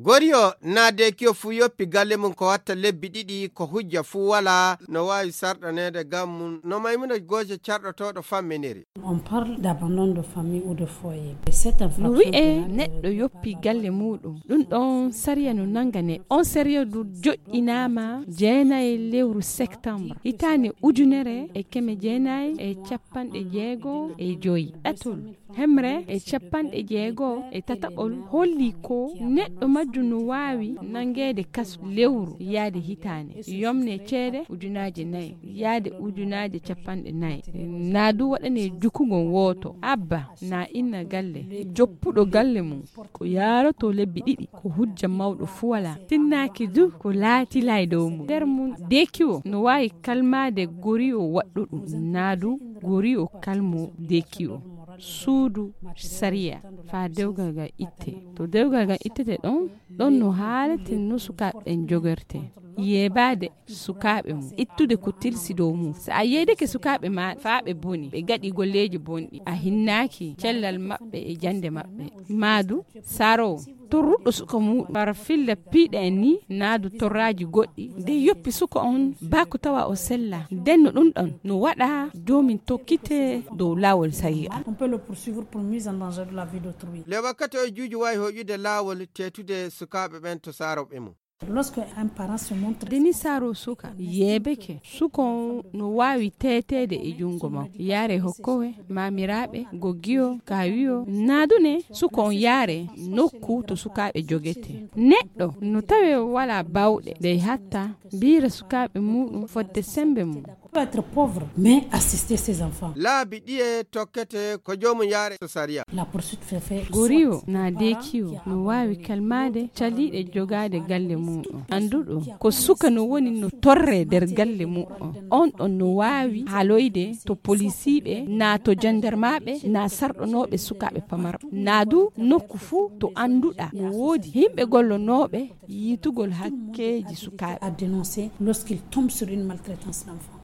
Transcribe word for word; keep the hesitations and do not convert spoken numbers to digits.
Goriyo naa deekiyo fuu yoppi galle mum ko watta lebbi ɗiɗi, ko hujja fuu walaa no waawi sarɗaneede gam mum, no Maymuna Gooje carɗotooɗo famminiri. On parle d'abandon de famille ou de foyer. Et cette infraction No wi'ee pénale neɗɗo yoppi galle muuɗum, ɗum ɗoon sariya no nannga neɗɗo. On sariya du joƴƴinaama jeenayi lewru septembre, hitaande ujunere e keme jeenayi e capanɗe jeego e joy. Ɗatol hemre e capanɗe jeego e tataɓol holli ko neɗɗo majjum no waawi nanngeede kasu lewru yaade hitaande, yomne ceede ujunaaje nayi yaade ujunaaje capanɗe nayi, naa du waɗanee jukugol wooto, abba naa inna galle, joppuɗo galle mum, ko yaarotoo lebbi ɗiɗi, ko hujja mawɗo fuu walaa. Tinnaaki du ko laatilay dow mum. Nder mum, deekiwo no waawi kalmaade goriyo waɗɗo ɗum, naa du goriyo kalmoo deekiwo. Suudu sariya faa dewgal ngal ittee. To dewgal ngal ittete ɗoon, ɗoon no haaleten no sukaaɓe ɓen jogortee. Yeebaade sukaaɓe mum, ittude ko tilsi dow mum. So a yeedike sukaaɓe maa faa ɓe boni, ɓe gaɗi golleeji bonɗi, a hinnaaki cellal maɓɓe e jannde maɓɓe. Maa du, saroowo torruɗo suka muuɗum, fara filla piiɗe en nii, naa du torraaji goɗɗi, de yoppi suka on baa ko tawa o sellaa. Nden no ɗum ɗon no waɗa joomin tokkitee dow laawol sariya. On peut le poursuivre pour mise en danger de la vie d'autrui. Le wakkati o juuji waawi hoƴude laawol teetude sukaaɓe ɓen to saarooɓe mum. Lorsque un parent se montre Deni saaro suka yeebeke, suka on no waawi teeteede e junngo makko. Yaare hokkowe, maamiraaɓe, goggiyo, kaawiyo, naa du ne suka on yaare nokku to sukaaɓe jogete. Neɗɗo no tawee walaa baawɗe, dey hatta mbiira sukaaɓe muuɗum fodde semmbe mum. Peut être pauvre, mais assister ses enfants. Laabi ɗiye tokkete ko joomum yaare to sariya. La poursuite fait fait Goriyo soit naa deekiyo no waawi kalmaade caliiɗe jogaade galle muuɗum. Annduɗo ko suka no woni no torree nder galle muuɗum. On ɗon no waawi haaloyde to polisiiɓe, naa to janndarmaaɓe, naa sarɗonooɓe sukaaɓe pamarɓe. Naa du nokku fuu to annduɗaa no woodi yimɓe gollonooɓe yiitugol hakkeeji sukaaɓe. À dénoncer lorsqu'il tombe sur une maltraitance d'enfant.